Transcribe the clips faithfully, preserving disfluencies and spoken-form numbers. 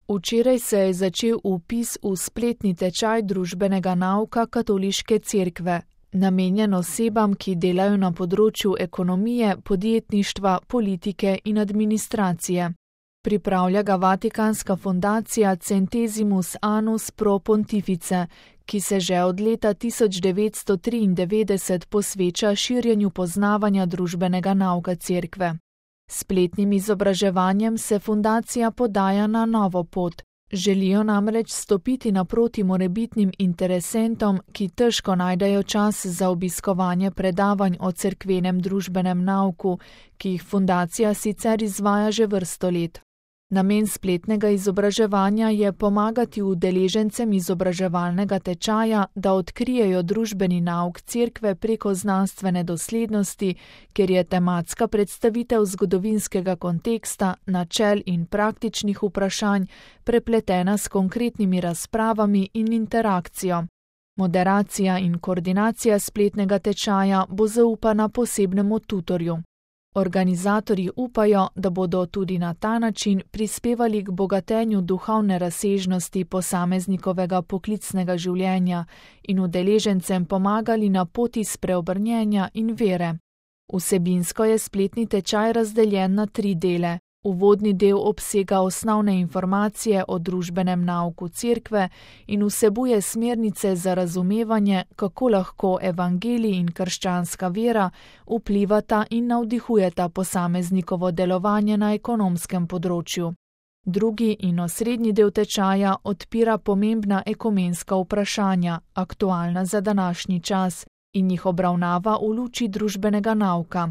Včeraj se je začel vpis v spletni tečaj družbenega nauka Katoliške cerkve, namenjen osebam, ki delajo na področju ekonomije, podjetništva, politike in administracije. Pripravlja ga Vatikanska fundacija Centesimus Annus Pro Pontifice, ki se že od leta tisoč devetsto triindevetdeset posveča širjenju poznavanja družbenega nauka cerkve. S spletnim izobraževanjem se fundacija podaja na novo pot. Želijo namreč stopiti naproti morebitnim interesentom, ki težko najdejo čas za obiskovanje predavanj o cerkvenem družbenem nauku, ki jih fundacija sicer izvaja že vrsto let. Namen spletnega izobraževanja je pomagati udeležencem izobraževalnega tečaja, da odkrijejo družbeni nauk cerkve preko znanstvene doslednosti, ker je tematska predstavitev zgodovinskega konteksta, načel in praktičnih vprašanj prepletena s konkretnimi razpravami in interakcijo. Moderacija in koordinacija spletnega tečaja bo zaupana posebnemu tutorju. Organizatorji upajo, da bodo tudi na ta način prispevali k bogatenju duhovne razsežnosti posameznikovega poklicnega življenja in udeležencem pomagali na poti spreobrnjenja in vere. Vsebinsko je spletni tečaj razdeljen na tri dele. Uvodni del obsega osnovne informacije o družbenem nauku cerkve in vsebuje smernice za razumevanje, kako lahko evangelij in krščanska vera vplivata in navdihujeta posameznikovo delovanje na ekonomskem področju. Drugi in osrednji del tečaja odpira pomembna ekumenska vprašanja, aktualna za današnji čas, in jih obravnava v luči družbenega nauka.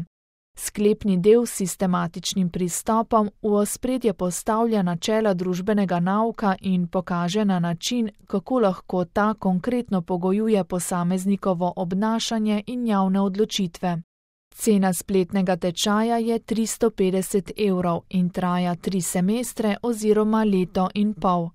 Sklepni del s sistematičnim pristopom v ospredje postavlja načela družbenega nauka in pokaže na način, kako lahko ta konkretno pogojuje posameznikovo obnašanje in javne odločitve. Cena spletnega tečaja je tristo petdeset evrov in traja tri semestre oziroma leto in pol.